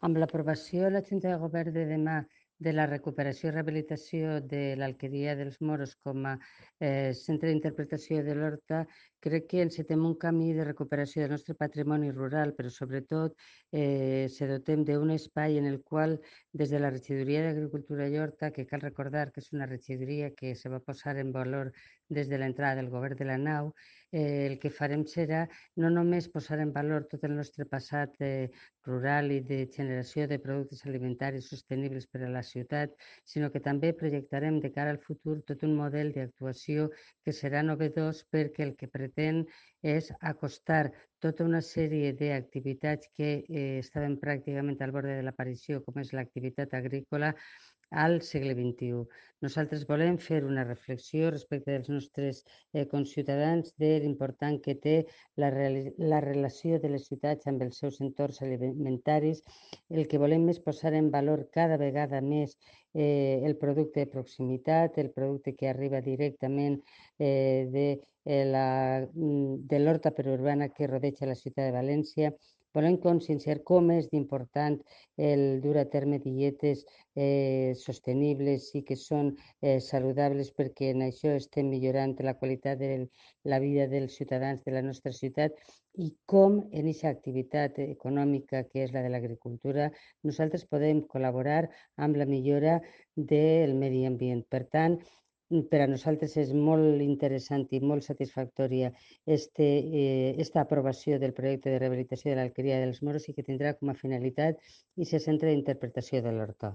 Amb l'aprovació a la Junta de Govern de demà de la recuperació i rehabilitació de l'Alqueria dels Moros com a centre d'interpretació de l'Horta, crec que encetem un camí de recuperació del nostre patrimoni rural, però sobretot se dotem d'un espai en el qual des de la Regidoria d'Agricultura i Horta, que cal recordar que és una regidoria que se va posar en valor des de l'entrada del govern de la nau, el que farem serà no només posar en valor tot el nostre passat rural i de generació de productes alimentaris sostenibles per a la ciutat, sinó que també projectarem de cara al futur tot un model d'actuació que serà novedós perquè el que pretén és acostar tota una sèrie d'activitats que estaven pràcticament al bord de l'aparició, com és l'activitat agrícola, al segle XXI. Nosaltres volem fer una reflexió respecte dels nostres conciutadans de l'important que té la relació de les ciutats amb els seus entorns alimentaris. El que volem és posar en valor cada vegada més el producte de proximitat, el producte que arriba directament de l'horta perurbana que rodeja la ciutat de València. Volem conscienciar com és d'important el dur a terme dietes sostenibles i que són saludables, perquè en això estem millorant la qualitat de la vida dels ciutadans de la nostra ciutat, i com en aquesta activitat econòmica que és la de l'agricultura nosaltres podem col·laborar amb la millora del medi ambient. Per tant, per a nosaltres és molt interessant i molt satisfactòria esta aprovació del projecte de rehabilitació de l'Alqueria dels Moros i que tindrà com a finalitat i se centre d'interpretació de l'horta.